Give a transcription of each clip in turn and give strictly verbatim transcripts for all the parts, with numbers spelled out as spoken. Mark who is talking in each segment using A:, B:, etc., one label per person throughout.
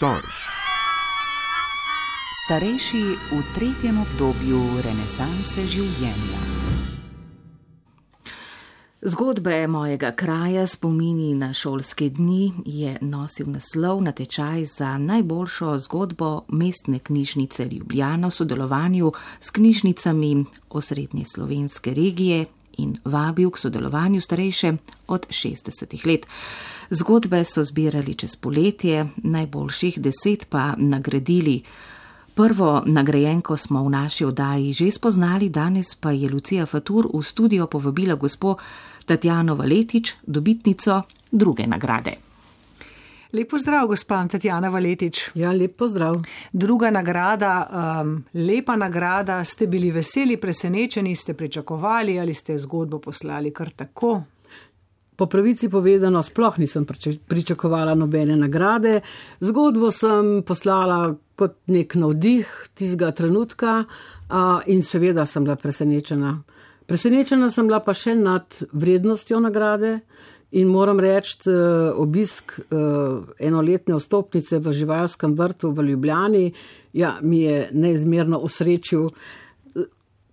A: Storž.
B: Starejši v tretjem obdobju renesanse življenja. Zgodbe mojega kraja, spomini na šolske dni, je nosil naslov natečaj za najboljšo zgodbo Mestne knjižnice Ljubljana v sodelovanju s knjižnicami osrednje slovenske regije in vabil k sodelovanju starejše od šestdesetih let. Zgodbe so zbirali čez poletje, najboljših deset pa nagradili. Prvo nagrajenko smo v naši oddaji že spoznali, danes pa je Lucija Fatur v studio povabila gospo Tatjano Valetič, dobitnico druge nagrade.
C: Lep pozdrav, gospa Tatjana Valetič.
D: Ja, lep pozdrav.
C: Druga nagrada, um, lepa nagrada, ste bili veseli, presenečeni, ste pričakovali ali ste zgodbo poslali kar tako?
D: Po pravici povedano, sploh nisem pričakovala nobene nagrade. Zgodbo sem poslala kot nek navdih tistega trenutka in seveda sem bila presenečena. Presenečena sem bila pa še nad vrednostjo nagrade in moram reči, obisk enoletne vstopnice v živalskem vrtu v Ljubljani, ja, mi je neizmerno osrečil.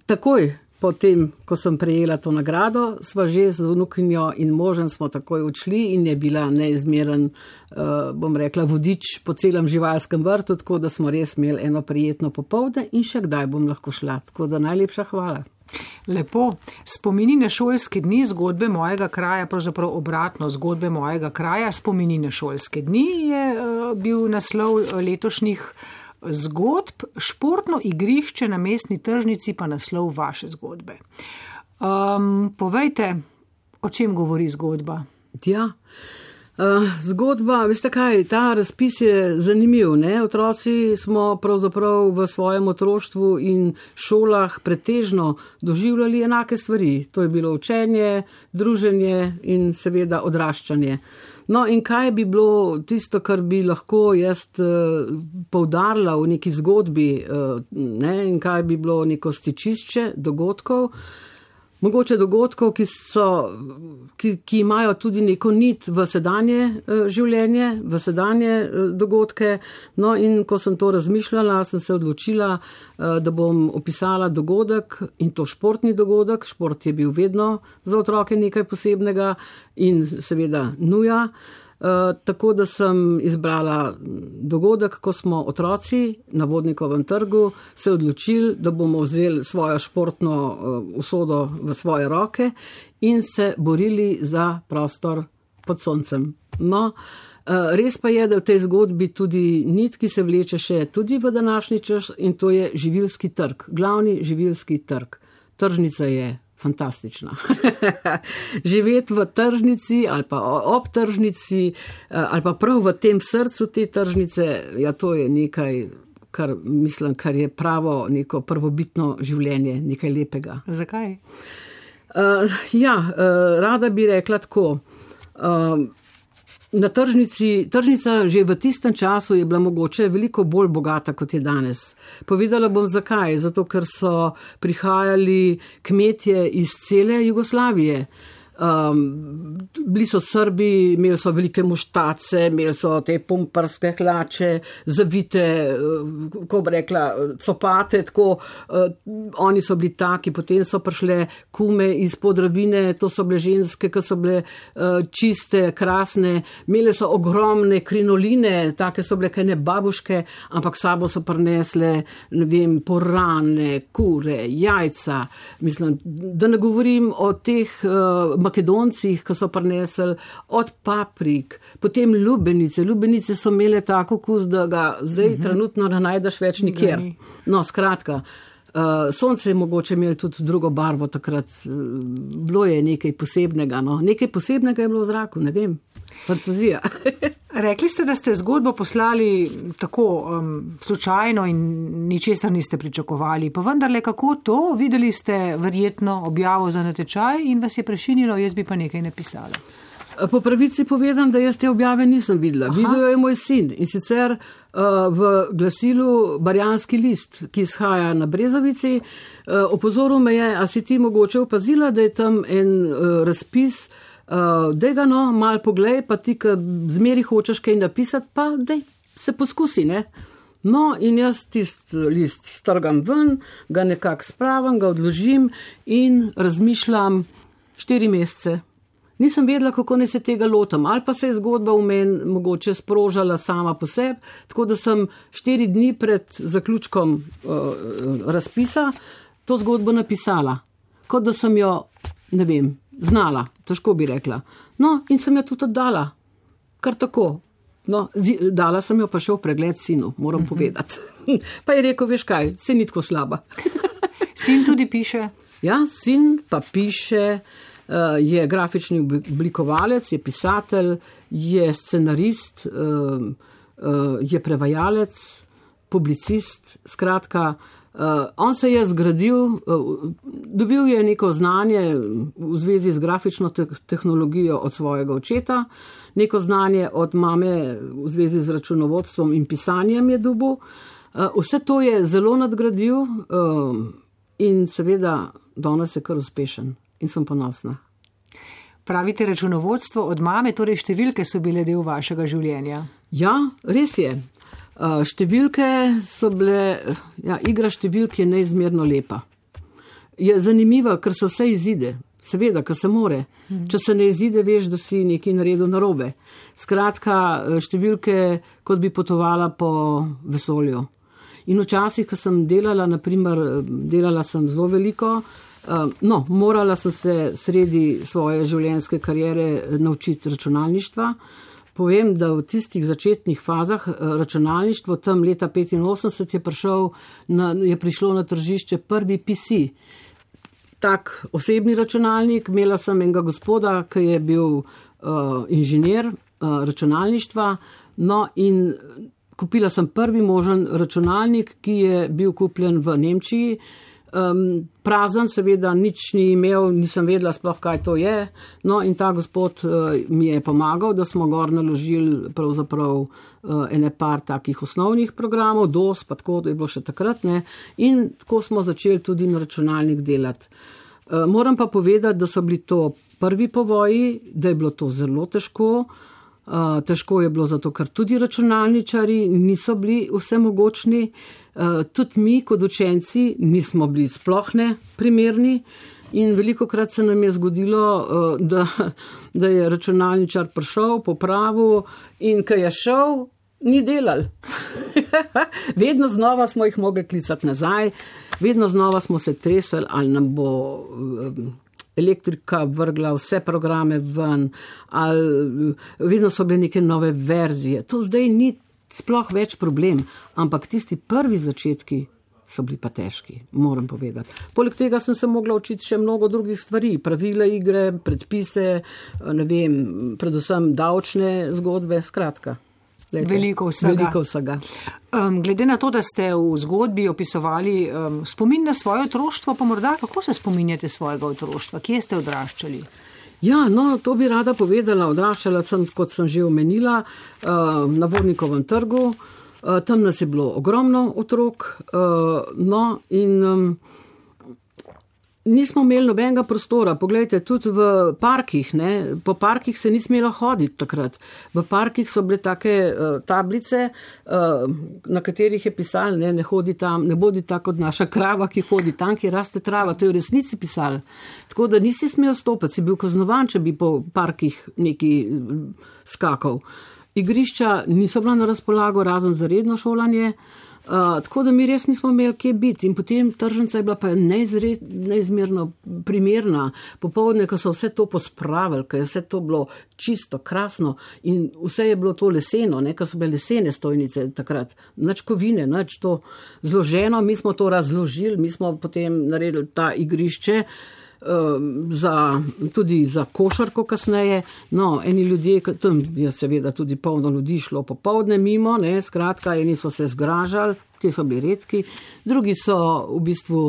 D: Takoj potem, ko sem prejela to nagrado, sva že z vnukinjo in možem smo takoj odšli in je bila neizmeren, bom rekla, vodič po celem živalskem vrtu, tako da smo res imeli eno prijetno popoldne in še kdaj bom lahko šla. Tako da najlepša hvala.
C: Lepo. Spomini na šolske dni, zgodbe mojega kraja, pravzaprav obratno, zgodbe mojega kraja, spomini na šolske dni je bil naslov letošnjih zgodb, športno igrišče na mestni tržnici pa naslov vaše zgodbe. Um, povejte, o čem govori zgodba?
D: Ja, uh, zgodba, veste kaj, ta razpis je zanimiv, ne? Otroci smo pravzaprav v svojem otroštvu in šolah pretežno doživljali enake stvari. To je bilo učenje, druženje in seveda odraščanje. No in kaj bi bilo tisto, kar bi lahko jaz uh, poudarila v neki zgodbi, uh, ne, in kaj bi bilo neko stičišče dogodkov, mogoče dogodkov, ki, so, ki, ki imajo tudi neko nit v sedanje uh, življenje, v sedanje uh, dogodke. No in ko sem to razmišljala, sem se odločila, uh, da bom opisala dogodek in to športni dogodek. Šport je bil vedno za otroke nekaj posebnega in seveda nuja. Uh, tako da sem izbrala dogodek, ko smo otroci na Vodnikovem trgu se odločili, da bomo vzeli svojo športno uh, usodo v svoje roke in se borili za prostor pod soncem. No, uh, res pa je, da v tej zgodbi tudi nit, ki se vleče še tudi v današnji čas, in to je živilski trg, glavni živilski trg. Tržnica je fantastična. Živeti v tržnici ali pa ob tržnici ali pa prav v tem srcu te tržnice, ja, to je nekaj, kar mislim, kar je pravo neko prvobitno življenje, nekaj lepega.
C: Zakaj?
D: Uh, ja, uh, rada bi rekla tako. Uh, Na tržnici, tržnica že v tistem času je bila mogoče veliko bolj bogata, kot je danes. Povedala bom zakaj, zato ker so prihajali kmetje iz cele Jugoslavije. Um, bili so Srbi, imeli so velike muštace, imeli so te pumparske hlače, zavite, ko bi rekla, copate, tako, uh, oni so bili taki, potem so prišle kume iz Podravine, to so bile ženske, ki so bile uh, čiste, krasne, imeli so ogromne krinoline, take so bile kaj ne babuške, ampak sabo so prinesle, ne vem, porane, kure, jajca, mislim, da ne govorim o teh uh, Makedoncih, ki so prinesli od paprik, potem lubenice. Lubenice so imele tako okus, da ga zdaj uh-huh. trenutno ne najdeš več nikjer. No, skratka, uh, sonce je mogoče imeli tudi drugo barvo takrat. Uh, bilo je nekaj posebnega, no. Nekaj posebnega je bilo v zraku, ne vem. Fantazija.
C: Rekli ste, da ste zgodbo poslali tako um, slučajno in ničesar niste pričakovali. Pa vendarle, kako to? Videli ste verjetno objavo za natečaj in vas je prešinilo, jaz bi pa nekaj napisala.
D: Po pravici povedam, da jaz te objave nisem videla. Aha. Videl je moj sin in sicer uh, v glasilu Barjanski list, ki izhaja na Brezovici. Uh, opozoril me je, a si ti mogoče opazila, da je tam en uh, razpis, uh, dej ga no, mal poglej, pa ti, ki zmeri hočeš kaj napisati, pa dej, se poskusi, ne. No, in jaz tist list strgam ven, ga nekako spravim, ga odložim in razmišljam štiri mesece. Nisem vedela, kako ne se tega lotam, ali pa se je zgodba v meni mogoče sprožala sama po sebi, tako da sem štiri dni pred zaključkom uh, razpisa to zgodbo napisala, kot da sem jo, ne vem, znala, težko bi rekla. No, in sem jo tudi oddala, kar tako. No, dala sem jo pa še v pregled sinu, moram uh-huh. povedati. Pa je rekel, veš kaj, se ni tako slaba.
C: Sin tudi piše?
D: Ja, sin pa piše, uh, je grafični oblikovalec, je pisatelj, je scenarist, uh, uh, je prevajalec, publicist, skratka, uh, on se je zgradil, uh, dobil je neko znanje v zvezi z grafično te- tehnologijo od svojega očeta, neko znanje od mame v zvezi z računovodstvom in pisanjem je dobil. Vse to je zelo nadgradil in seveda danes je kar uspešen in sem ponosna.
C: Pravite računovodstvo od mame, torej številke so bile del vašega življenja?
D: Ja, res je. Številke so bile, ja, igra številk je neizmerno lepa. Je zanimiva, ker se vse izide. Seveda, ker se more. Če se ne izide, veš, da si nekaj naredil narobe. Skratka, številke, kot bi potovala po vesolju. In včasih, ko sem delala, naprimer, delala sem zelo veliko, no, morala sem se sredi svoje življenjske kariere naučiti računalništva. Povem, da v tistih začetnih fazah računalništvo, tam leta petinosemdeset je, prišel na, je prišlo na tržišče prvi P C. Tak osebni računalnik, imela sem enega gospoda, ki je bil uh, inženir uh, računalništva, no in kupila sem prvi možen računalnik, ki je bil kupljen v Nemčiji. Um, prazen, seveda, nič ni imel, nisem vedela sploh, kaj to je. No in ta gospod uh, mi je pomagal, da smo gor naložili pravzaprav uh, ene par takih osnovnih programov, dos, pa tako, da je bilo še takrat, ne. In tako smo začeli tudi na računalnik delati. Uh, moram pa povedati, da so bili to prvi povoji, da je bilo to zelo težko. Uh, težko je bilo zato, ker tudi računalničari niso bili vsemogočni. Uh, tudi mi kot učenci nismo bili sploh ne primerni in velikokrat se nam je zgodilo, uh, da, da je računalničar prišel, popravil in ko je šel, ni delal. Vedno znova smo jih mogli klicati nazaj, vedno znova smo se tresali, ali nam bo um, elektrika vrgla vse programe ven, ali vedno so bile neke nove verzije. To zdaj ni sploh več problem, ampak tisti prvi začetki so bili pa težki, moram povedati. Poleg tega sem se mogla učiti še mnogo drugih stvari, pravila igre, predpise, ne vem, predvsem davčne zgodbe, skratka. Lejte,
C: veliko vsega.
D: Veliko vsega.
C: Um, glede na to, da ste v zgodbi opisovali um, spomin na svoje otroštvo, pa morda kako se spominjate svojega otroštva? Kje ste odraščali?
D: Ja, no, to bi rada povedala. Odraščala sem, kot sem že omenila, na Vornikovem trgu. Tam nas je bilo ogromno otrok. No, in nismo imeli nobenega prostora. Poglejte, tudi v parkih, ne, po parkih se ni smelo hoditi takrat. V parkih so bile take tablice, na katerih je pisalo, ne, ne hodi tam, ne bodi tako kot naša krava, ki hodi tam, ki raste trava. To je v resnici pisalo. Tako da nisi smel stopiti, si bil kaznovan, če bi po parkih neki skakal. Igrišča niso bila na razpolago, razen za redno šolanje. Uh, tako da mi res nismo imeli kje biti in potem tržnica je bila pa neizre, neizmerno primerna. Popoldne, ko so vse to pospravili, ko je vse to bilo čisto, krasno in vse je bilo to leseno, ne, ko so bile lesene stojnice takrat, nič kovine, nič to zloženo, mi smo to razložili, mi smo potem naredili ta igrišče, Za, tudi za košarko kasneje. No, eni ljudje, tam je seveda tudi polno ljudi šlo popoldne mimo, ne, skratka, eni so se zgražali, ti so bili redki, drugi so v bistvu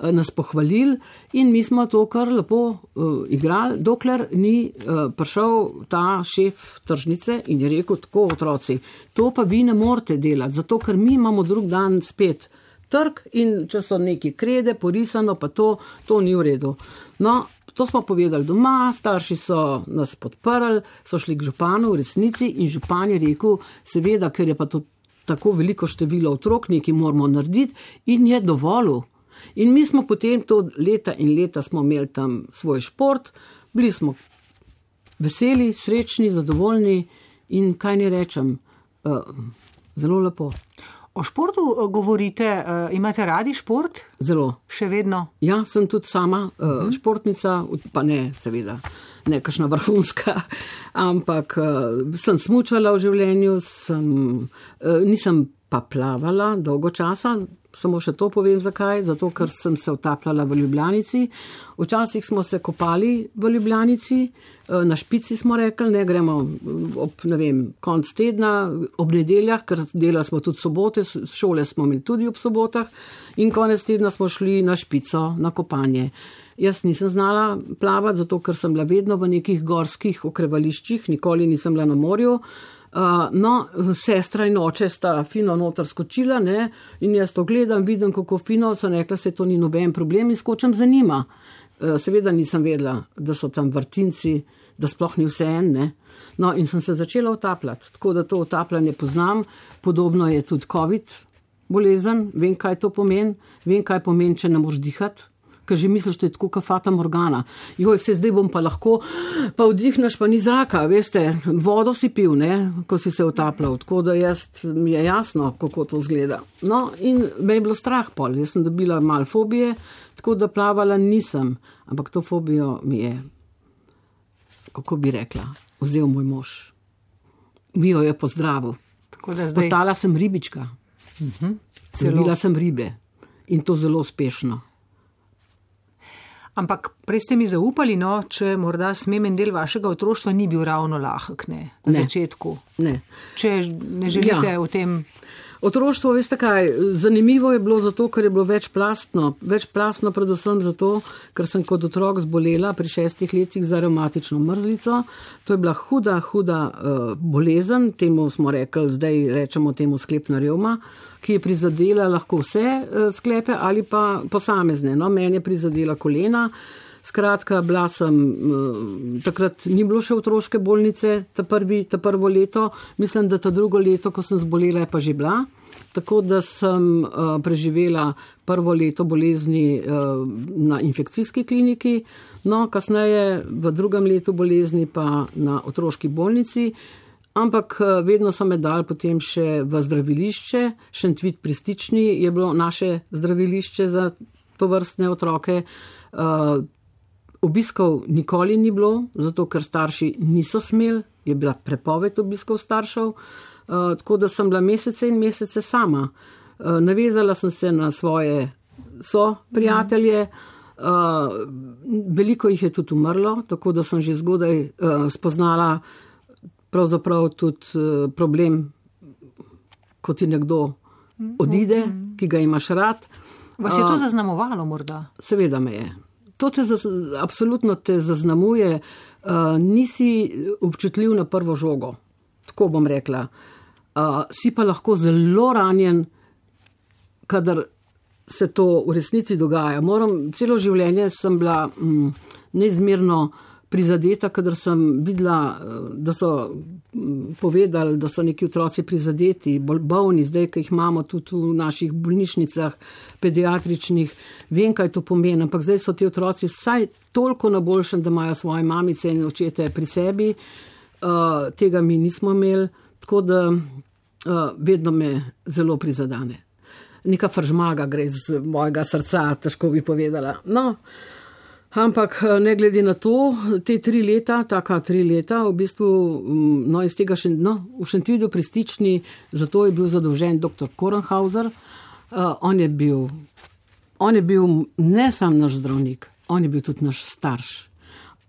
D: nas pohvalili in mi smo to kar lepo uh, igrali, dokler ni uh, prišel ta šef tržnice in je rekel, tako otroci, to pa vi ne morete delati, zato ker mi imamo drug dan spet trg in če so neki krede, porisano, pa to, to ni v redu. No, to smo povedali doma, starši so nas podprli, so šli k županu v resnici in župan je rekel, seveda, ker je pa to tako veliko število otrok, nekaj moramo narediti in je dovolj. In mi smo potem to leta in leta smo imeli tam svoj šport, bili smo veseli, srečni, zadovoljni in kaj ne rečem, uh, zelo lepo.
C: O športu govorite, uh, imate radi šport?
D: Zelo.
C: Še vedno?
D: Ja, sem tudi sama uh, uh-huh. športnica, pa ne, seveda, ne kakšna vrhunska, ampak uh, sem smučala v življenju, sem, uh, nisem pa plavala dolgo časa, samo še to povem zakaj, zato ker sem se utapljala v Ljubljanici. Včasih smo se kopali v Ljubljanici, na špici smo rekli, ne gremo ob, ne vem, konc tedna, ob nedeljah, ker delali smo tudi sobote, šole smo imeli tudi ob sobotah in konec tedna smo šli na špico, na kopanje. Jaz nisem znala plavati, zato ker sem bila vedno v nekih gorskih okrevališčih, nikoli nisem bila na morju. Uh, no, sestra in oče sta fino noter skočila, ne, in jaz to gledam, vidim, kako fino, sem rekla, se to ni noben problem in skočem za njima. Uh, seveda nisem vedela, da so tam vrtinci, da sploh ni vse en, ne. No, in sem se začela utapljati, tako da to utapljanje poznam, podobno je tudi COVID bolezen, vem, kaj to pomeni, vem, kaj pomeni, če ne moreš dihati. Ker že misliš, da je tako kot fata morgana. Joj, vse zdaj bom pa lahko, pa vdihneš, pa ni zraka, veste, vodo si pil, ne, ko si se utapljal, tako da jaz, mi je jasno, kako to izgleda. No, in me je bilo strah pol, jaz sem dobila malo fobije, tako da plavala nisem, ampak to fobijo mi je, kako bi rekla, vzel moj mož. Mi jo je pozdravil. Tako da zdaj... Postala sem ribička. Uh-huh. Lovila sem ribe in to zelo uspešno.
C: Ampak prej ste mi zaupali, no, če morda smem en del vašega otroštva ni bil ravno lahek, ne, na ne. začetku.
D: Ne.
C: Če ne želite ja. o tem...
D: Otroštvo, veste kaj, zanimivo je bilo zato, ker je bilo večplastno. Večplastno predvsem zato, ker sem kot otrok zbolela pri šestih letih za revmatično mrzlico. To je bila huda, huda uh, bolezen, temu smo rekli, zdaj rečemo temu sklepna revma, ki je prizadela lahko vse uh, sklepe ali pa posamezne. No, meni je prizadela kolena. Skratka, bila sem, takrat ni bilo še otroške bolnice, ta, prvi, ta prvo leto, mislim, da ta drugo leto, ko sem zbolela, je pa že bila, tako da sem uh, preživela prvo leto bolezni uh, na infekcijski kliniki, no, kasneje v drugem letu bolezni pa na otroški bolnici, ampak uh, vedno so me dali potem še v zdravilišče, Šentvit pri Stični je bilo naše zdravilišče za tovrstne otroke. Uh, Obiskov nikoli ni bilo, zato ker starši niso smeli, je bila prepoved obiskov staršev, uh, tako da sem bila mesece in mesece sama. Uh, navezala sem se na svoje soprijatelje, uh, veliko jih je tudi umrlo, tako da sem že zgodaj uh, spoznala pravzaprav tudi uh, problem, ko ti nekdo odide, ki ga imaš rad.
C: Vas je to zaznamovalo morda?
D: Seveda me je. To te zaz, absolutno te zaznamuje, uh, nisi občutljiv na prvo žogo, tako bom rekla. Uh, si pa lahko zelo ranjen, kadar se to v resnici dogaja. Moram, celo življenje sem bila mm, neizmerno prizadeta, kadar sem videla, da so povedali, da so neki otroci prizadeti, bolni, zdaj, ki jih imamo tudi v naših bolnišnicah, pediatričnih, vem, kaj to pomeni, ampak zdaj so ti otroci vsaj toliko na boljšem, da imajo svoje mamice in očete pri sebi, uh, tega mi nismo imeli, tako da uh, vedno me zelo prizadane. Neka fržmaga gre z mojega srca, težko bi povedala. No, ampak ne glede na to, te tri leta, taka tri leta, v bistvu, no, iz tega še, no, v Šentvidu pri Stični, zato je bil zadolžen doktor Korenhauser. Uh, on je bil, on je bil ne sam naš zdravnik, on je bil tudi naš starš.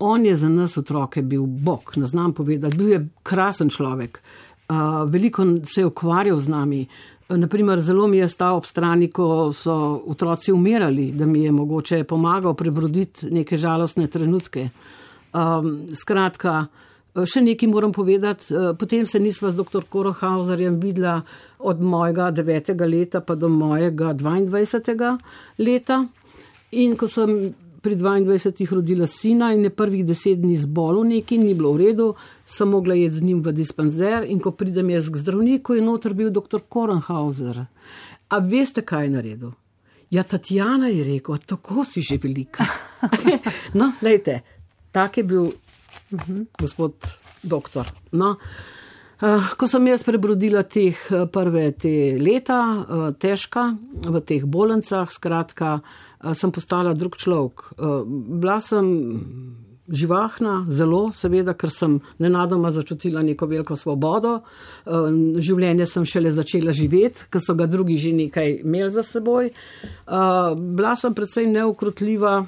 D: On je za nas otroke bil bog, ne znam povedati, bil je krasen človek. Uh, veliko se je ukvarjal z nami. Naprimer, zelo mi je stal ob strani, ko so otroci umirali, da mi je mogoče pomagal prebroditi neke žalostne trenutke. Um, skratka, še nekaj moram povedati, potem se nisva z doktor Korenhauserjem videla od mojega devetega leta pa do mojega dvaindvajsetega leta in ko sem pri dvaindvajsetih rodila sina in je prvih deset dni zbolel neki, ni bilo v redu, sem mogla jeti z njim v dispanzer in ko pridem jaz k zdravniku, je noter bil doktor Korenhauser. A veste, kaj je naredil? Ja, Tatjana je rekel, tako si že velika. No, lejte, tak je bil uh-huh, gospod doktor. No, uh, ko sem jaz prebrodila teh prve te leta, uh, težka, v teh bolnicah, skratka, uh, sem postala drug človek. Uh, bila sem živahna, zelo, seveda, ker sem nenadoma začutila neko veliko svobodo. Uh, življenje sem šele začela živeti, ker so ga drugi že nekaj imeli za seboj. Uh, bila sem predvsej neukrotljiva,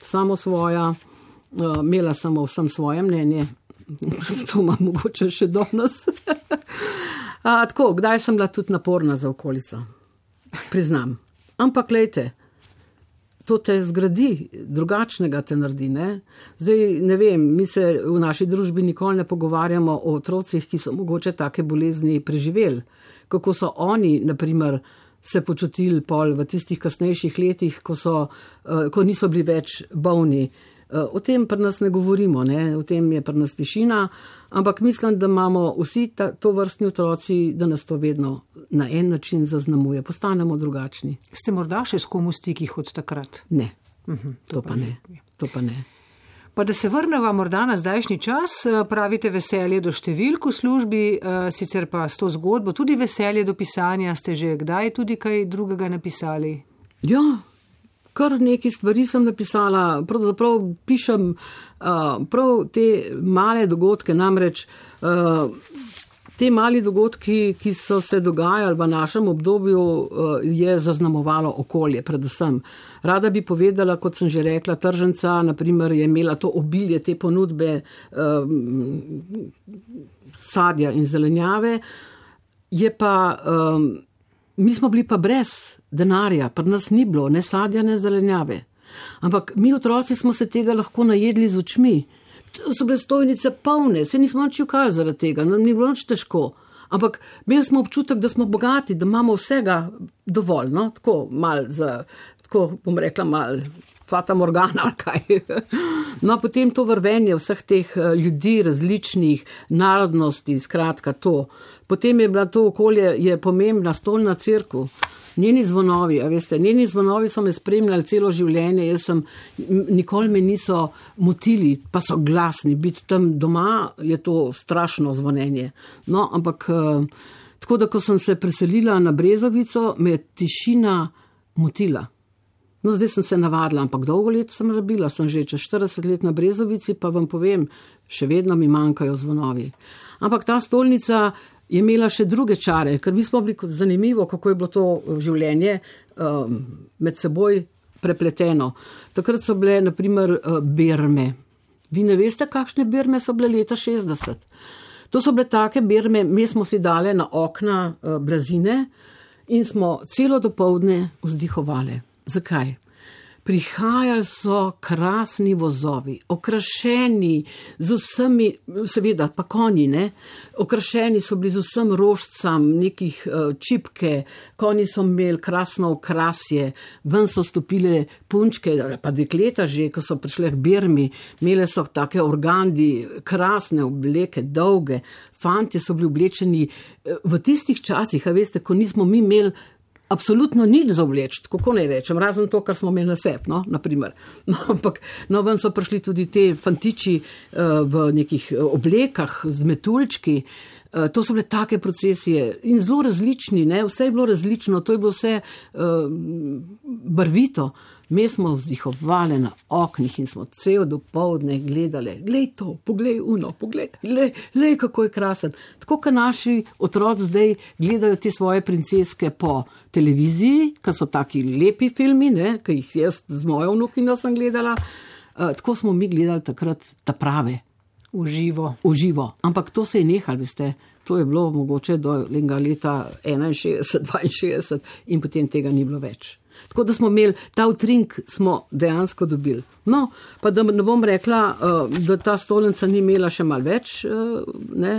D: samo svoja, uh, imela sem o vsem svoje mnenje. To imam mogoče še danes. A, tako, kdaj sem bila tudi naporna za okolico, priznam. Ampak lejte, to te zgradi, drugačnega te naredi, ne? Zdaj, ne vem, mi se v naši družbi nikoli ne pogovarjamo o otrocih, ki so mogoče take bolezni preživeli. Kako so oni, naprimer, se počutili pol v tistih kasnejših letih, ko, so, ko niso bili več bolni. O tem pri nas ne govorimo, ne? O tem je pri nas tišina, ampak mislim, da imamo vsi ta, to vrstni otroci, da nas to vedno na en način zaznamuje, postanemo drugačni.
C: Ste morda še s kom v stikih od takrat?
D: Ne,
C: uh-huh,
D: to, to, pa ne. to pa ne.
C: Pa da se vrneva morda na zdajšnji čas, pravite veselje do številk v službi, sicer pa s to zgodbo tudi veselje do pisanja, ste že kdaj tudi kaj drugega napisali?
D: Ja, kar nekaj stvari sem napisala, pravzaprav pišem uh, prav te male dogodke, namreč uh, te mali dogodki, ki so se dogajali v našem obdobju, uh, je zaznamovalo okolje predvsem. Rada bi povedala, kot sem že rekla, tržnica, naprimer, je imela to obilje, te ponudbe uh, sadja in zelenjave, je pa, um, mi smo bili pa brez denarja, pri nas ni bilo ne sadja, ne zelenjave. Ampak mi otroci smo se tega lahko najedli z očmi. So bile stojnice polne, se nismo nič ukali zaradi tega, nam ni bilo nič težko. Ampak imeli smo občutek, da smo bogati, da imamo vsega dovolj, no, tako mal za, tako bom rekla, mal fata morgana, kaj. No, potem to vrvenje vseh teh ljudi, različnih narodnosti, skratka to. Potem je bila to okolje, je pomembna stolna cerkev. Njeni zvonovi, a veste, njeni zvonovi so me spremljali celo življenje, jaz sem, nikoli me niso motili, pa so glasni, biti tam doma je to strašno zvonjenje. No, ampak, tako da, ko sem se preselila na Brezovico, me je tišina motila. No, zdaj sem se navadila, ampak dolgo let sem rabila, sem že čez štirideset let na Brezovici, pa vam povem, še vedno mi manjkajo zvonovi. Ampak ta stolnica je imela še druge čare, ker mi smo bili zanimivo, kako je bilo to življenje um, med seboj prepleteno. Takrat so bile, naprimer, berme. Vi ne veste, kakšne berme so bile leta šestdeset. To so bile take berme, mi smo si dale na okna uh, blazine in smo celo dopoldne vzdihovali. Zakaj? Prihajali so krasni vozovi, okrašeni z vsemi, seveda pa konji, ne? Okrašeni so bili z vsem rožcam, nekih uh, čipke, konji so imeli krasno okrasje, ven so stopile punčke, pa dekleta že, ko so prišle k bermi, imele so take organdi, krasne obleke, dolge, fantje so bili oblečeni v tistih časih, a veste, ko nismo mi imeli absolutno nič za obleči, kako naj rečem, razen to, kar smo imeli na sebi, no, naprimer. No, ampak, no, ven so prišli tudi te fantiči uh, v nekih oblekah z metuljčki, uh, to so bile take procesije in zelo različni, ne, vse je bilo različno, to je bilo vse uh, barvito. Mi smo vzdihovali na oknih in smo cel dopoldne gledali, glej to, poglej uno, poglej, glej, glej, kako je krasen. Tako, kot naši otroci zdaj gledajo te svoje princeske po televiziji, ki so taki lepi filmi, ne, ki jih jaz z mojo vnukinjo sem gledala, uh, tako smo mi gledali takrat ta prave.
C: Uživo.
D: Uživo. Ampak to se je nehal, veste, to je bilo mogoče do leta enainšestdeset, dvainšestdeset in potem tega ni bilo več. Tako da smo imeli, ta utrink smo dejansko dobili. No, pa da ne bom rekla, da ta stolnica ni imela še malo več, ne,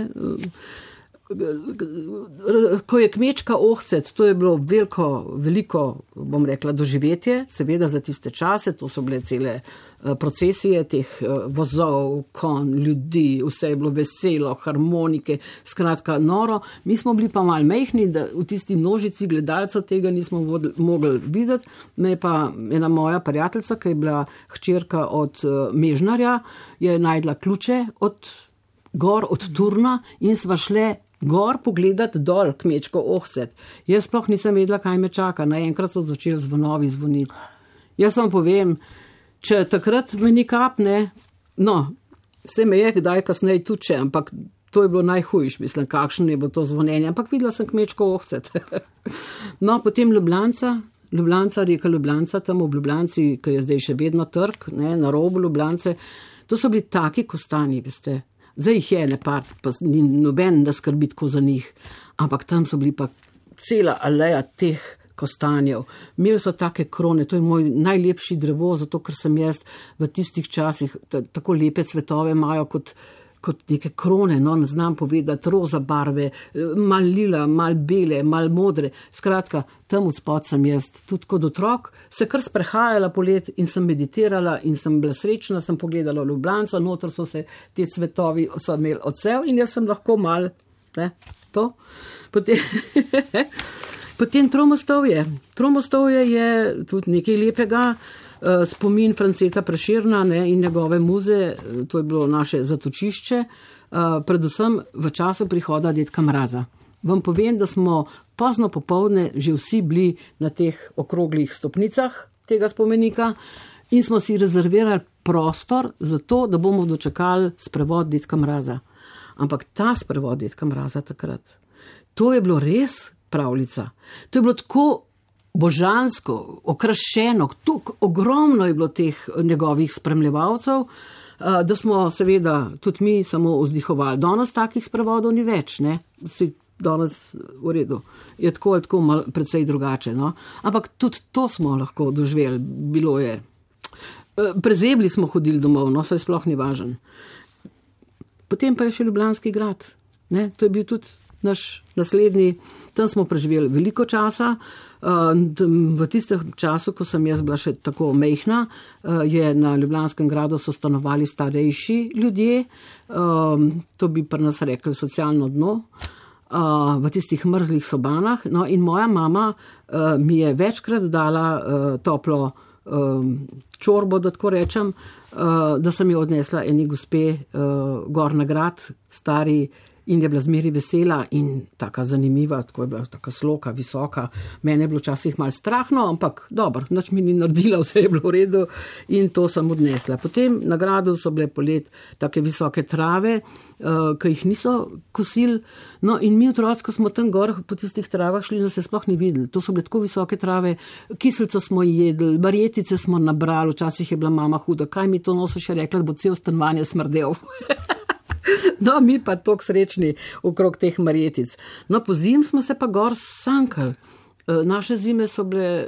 D: ko je kmečka ohcet, to je bilo veliko, veliko, bom rekla, doživetje, seveda za tiste čase, to so bile cele procesije teh vozov, kon, ljudi, vse je bilo veselo, harmonike, skratka noro. Mi smo bili pa malo mehni, da v tisti množici gledalcev tega nismo mogli videti. Me je pa ena moja prijateljica, ki je bila hčerka od Mežnarja, je najdla ključe od gor, od Turna in sva šle gor pogledati dol kmečko ohcet. Jaz sploh nisem vedela, kaj me čaka. Naenkrat so začeli zvonovi zvoniti. Jaz vam povem, če takrat me ni kapne, no, se me je kdaj kasneje tuče, ampak to je bilo najhujš, mislim, kakšno je bilo to zvonjenje, ampak videla sem kmečko ohcet. No, potem Ljubljanca, Ljubljanca, reka Ljubljanca, tam v Ljubljanci, ki je zdaj še vedno trg, ne, na robu Ljubljance, to so bili taki kostanji, veste. Zdaj jih je nepar, pa ni noben da skrbi tako za njih, ampak tam so bili pa cela aleja teh kostanjev. Imeli so take krone, to je moj najlepši drevo, zato ker sem jaz v tistih časih tako lepe cvetove imajo kot, kot neke krone, no, ne znam povedati, roza barve, mal lila, mal bele, mal modre. Skratka, tam od spod sem jaz tudi kot otrok se kar sprehajala polet in sem meditirala in sem bila srečna, sem pogledala Ljubljanca, noter so se te cvetovi so imeli odsev in jaz sem lahko mal, ne, to. Potem Potem Tromostovje. Tromostovje je tudi nekaj lepega, spomin Franceta Prešerna, ne, in njegove muze, to je bilo naše zatočišče, predvsem v času prihoda dedka Mraza. Vam povem, da smo pozno popoldne že vsi bili na teh okroglih stopnicah tega spomenika in smo si rezervirali prostor za to, da bomo dočakali sprevod dedka Mraza. Ampak ta sprevod dedka Mraza takrat, to je bilo res pravljica. To je bilo tako božansko, okrašeno, tako ogromno je bilo teh njegovih spremljevalcev, da smo seveda tudi mi samo vzdihovali. Danes takih sprevodov ni več, ne? Si danes v redu. Je tako ali tako mal precej drugače, no? Ampak tudi to smo lahko doživeli. Bilo je. Prezebli smo hodili domov, no, saj sploh ni važen. Potem pa je še Ljubljanski grad, ne? To je bil tudi naš naslednji, tam smo preživeli veliko časa. V tistem času, ko sem jaz bila še tako mejhna, je na Ljubljanskem gradu so stanovali starejši ljudje, to bi pri nas rekli socialno dno, v tistih mrzlih sobanah. No, in moja mama mi je večkrat dala toplo čorbo, da tako rečem, da sem jo odnesla eni gospe gor na grad, stari, in je bila zmeri vesela in taka zanimiva, tako je bila taka sloka, visoka. Mene je bilo včasih malo strahno, ampak dobro, nič mi ni naredila, vse je bilo v redu in to sem odnesla. Potem na gradu so bile polet take visoke trave, uh, ki jih niso kosili, no in mi otroci, ko smo tam gor po tistih travah šli, da se sploh ni videli. To so bile tako visoke trave, kislico smo jedli, marjetice smo nabrali, včasih je bila mama huda, kaj mi to noso še rekla, da bo cel stanovanje smrdel. No, mi pa toliko srečni okrog teh marjetic. No, po zim smo se pa gor sankali. Naše zime so bile,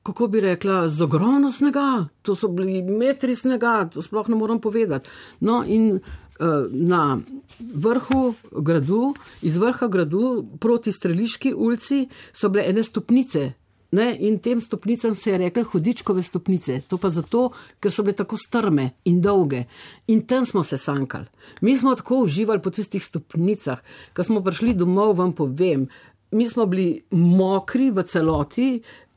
D: kako bi rekla, z ogromno snega. To so bili metri snega, to sploh ne moram povedati. No, in na vrhu gradu, iz vrha gradu proti Streliški ulici so bile ene stopnice. Ne, in tem stopnicam se je rekel Hudičkove stopnice. To pa zato, ker so bile tako strme in dolge. In tam smo se sankali. Mi smo tako uživali po tistih stopnicah. Ko smo prišli domov, vam povem, mi smo bili mokri v celoti,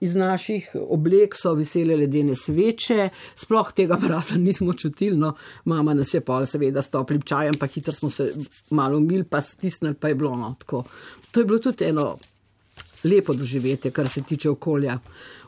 D: iz naših oblek so visele ledene sveče, sploh tega mraza nismo čutili, no, mama nas je pa seveda s toplim čajem, pa hitro smo se malo umili, pa stisnili, pa je bilo, no, tako. To je bilo tudi eno lepo doživetje, kar se tiče okolja.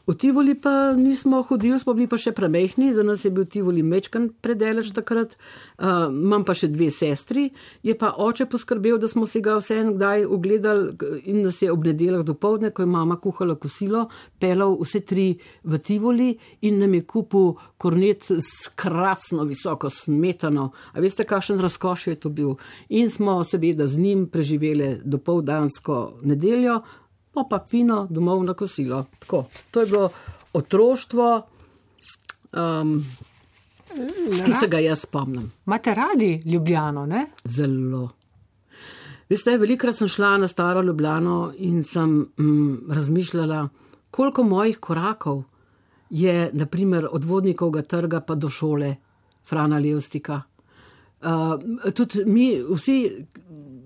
D: V Tivoli pa nismo hodili, smo bili pa še premehni, za nas je bil Tivoli mečkan predeleč takrat, uh, imam pa še dve sestri, je pa oče poskrbel, da smo si ga vse en kdaj ogledali in nas je ob nedeljah dopoldne, ko je mama kuhala kosilo, pelal vse tri v Tivoli in nam je kupil kornet s krasno visoko smetano. A veste, kakšen razkoš je to bil? In smo seveda z njim preživeli dopoldansko nedeljo, pa fino domov na kosilo. Tako, to je bilo otroštvo, um, ki se ga jaz spomnim.
C: Imate radi Ljubljano, ne?
D: Zelo. Veste, velikrat sem šla na Staro Ljubljano in sem mm, razmišljala, koliko mojih korakov je, naprimer, od Vodnikovega trga pa do šole Frana Levstika. Uh, tudi mi, vsi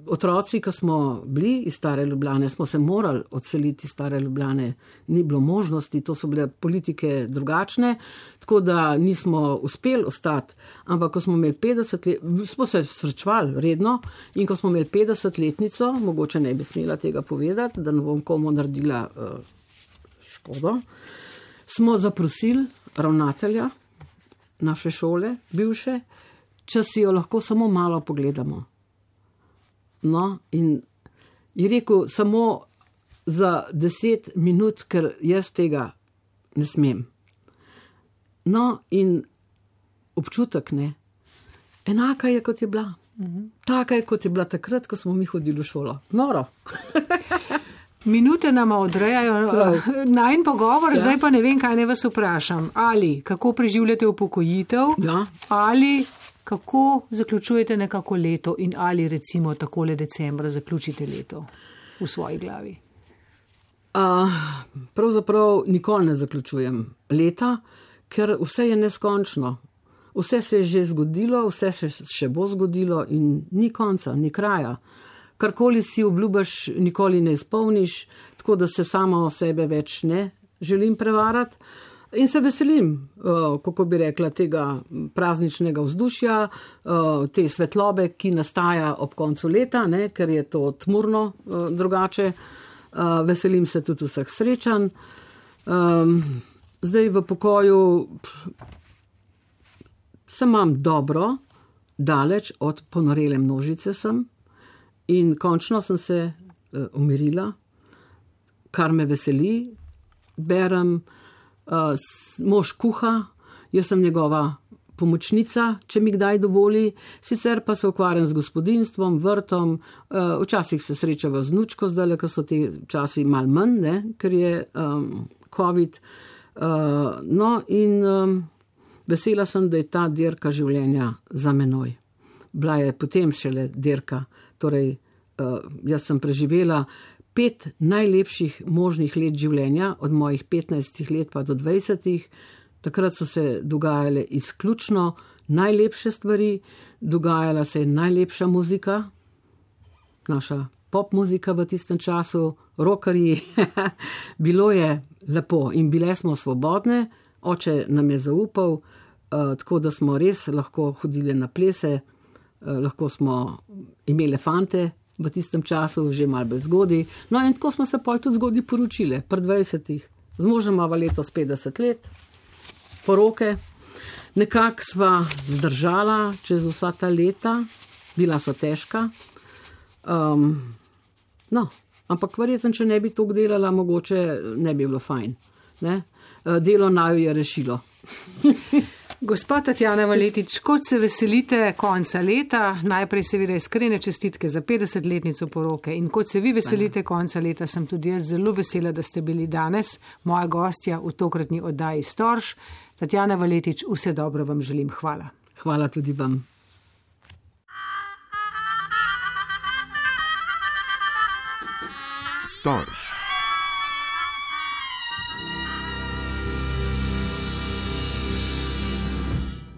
D: otroci, ki smo bili iz Stare Ljubljane, smo se morali odseliti iz Stare Ljubljane. Ni bilo možnosti, to so bile politike drugačne, tako da nismo uspeli ostati. Ampak ko smo imeli petdeset let, smo se srečevali redno in ko smo imeli petdesetletnico, mogoče ne bi smela tega povedati, da ne bom komu naredila uh, škodo, smo zaprosili ravnatelja naše šole, bivše, če si jo lahko samo malo pogledamo. No, in je rekel, samo za deset minut, ker jaz tega ne smem. No, in občutek ne. Enaka je, kot je bila. Mhm. Taka je, kot je bila takrat, ko smo mi hodili v šolo. Noro.
C: Minute nama odrejajo najin pogovor, ja. Zdaj pa ne vem, kaj ne vas vprašam. Ali kako preživljate upokojitev,
D: ja.
C: Ali kako zaključujete nekako leto in ali recimo takole decembra zaključite leto v svoji glavi?
D: Uh, pravzaprav nikoli ne zaključujem leta, ker vse je neskončno. Vse se je že zgodilo, vse se še bo zgodilo in ni konca, ni kraja. Karkoli si obljubaš, nikoli ne izpolniš, tako da se samo o sebe več ne želim prevarati. In se veselim, kako bi rekla, tega prazničnega vzdušja, te svetlobe, ki nastaja ob koncu leta, ne, ker je to tmurno drugače. Veselim se tudi vseh srečanj. Zdaj v pokoju se imam dobro, daleč od ponorele množice sem. In končno sem se uh, umirila, kar me veseli. Berem, uh, mož kuha, jaz sem njegova pomočnica, če mi kdaj dovoli, sicer pa se ukvarjam z gospodinstvom, vrtom, uh, včasih se srečava z vnučko, zdaj, ko so ti časi malo manj, ne, ker je um, COVID. Uh, no in um, vesela sem, da je ta dirka življenja za menoj. Bila je potem šele dirka. Torej, uh, jaz sem preživela pet najlepših možnih let življenja, od mojih petnajstih let pa do dvajsetih. Takrat so se dogajale izključno najlepše stvari, dogajala se je najlepša muzika, naša pop muzika v tistem času, rockerji. Bilo je lepo in bile smo svobodne, oče nam je zaupal, uh, tako da smo res lahko hodili na plese. Lahko smo imeli fante v tistem času, že malo bolj zgodi. No in tako smo se pol tudi zgodi poročile, pri dvajsetih. Z možem imava letos petdeset let, poroke. Nekako sva zdržala čez vsa ta leta, bila so težka. Um, no, ampak verjetno, če ne bi to delala, mogoče ne bi bilo fajn. Ne? Delo naju je rešilo.
C: Gospa Tatjana Valetič, kot se veselite konca leta, najprej seveda iskrene čestitke za petdesetletnico poroke in kot se vi veselite konca leta, sem tudi jaz zelo vesela, da ste bili danes moja gostja v tokratni oddaji Storž. Tatjana Valetič, vse dobro vam želim. Hvala.
D: Hvala tudi vam.
A: Storž.